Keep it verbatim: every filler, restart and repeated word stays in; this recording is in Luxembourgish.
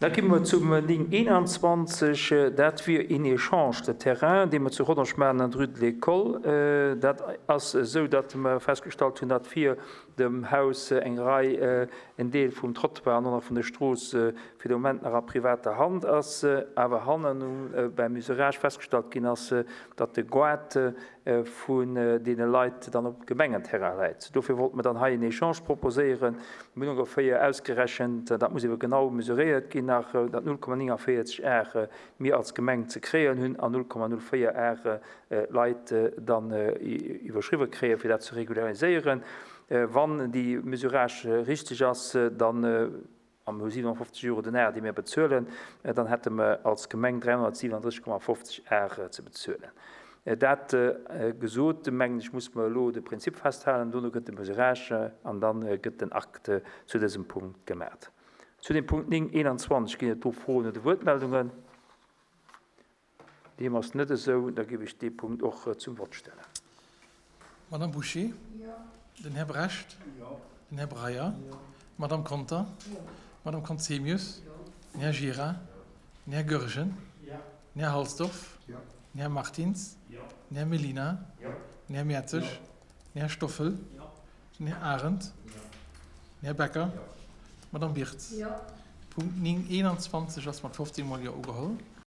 Da gi mer zum néng eenanzwanzeg. Dat wier een Échange de terrain, dee mer zu Rodange maachen an der Rue de l'École. Dat ass esou, datt mer festgestallt hunn, datt vir dem Haus eng Rei, en Deel vum Trottoir an och nach vun der Strooss fir de Moment nach a privater Hand ass, awer hannen beim Mesurage festgestallt ginn ass, datt de Goart vun deene Leit dann op Gemengenterrain läit. Dofir wollte mer dann hei en Echange proposéieren. Mir hunn ongeféier ausgerechent, dat muss ebe genau mesuréiert ginn nach, datt null Komma nénganvéierzeg Ar mir als Gemeng ze kréien hunn an null Komma null véier Ar d'Leit dann iwwerschriwwe kréien, fir dat ze regulariséieren. Wann déi Mesurage richteg ass, dann, a mir hu siewenundfofzeg Euro den Ar, déi mir bezuelen, dann hätte mer als Gemeng dräihonnertsiwenunddrësseg Komma fofzeg Ar ze bezuelen. Dat gesot, mengen ech, muss mer elo de Prinzip festhalen. Dono gëtt de Mesurage an da gëtt den Akt zu dësem Punkt gemaat. Zu dem Punkt néng eenanzwanzeg ginn et do Froen oder Wuertmeldungen? Deem ass net esou. Da géif ech dee Punkt och zum Vott stellen. Madame Bouché? Den Här Brecht? Den Här Breyer? D'Madame Conter? D'Madame Conzemius? Den Här Gira? Den Här Goergen? Den Här Halsdorf? Den Här Martins? Den Här Mellina? Den Här Mertzig? Den Här Stoffel? Den Här Arendt? Den Här Becker? D'Madame Birtz? Punkt néng eenanzwanzeg ass mat fofzéng Mol Jo ugeholl.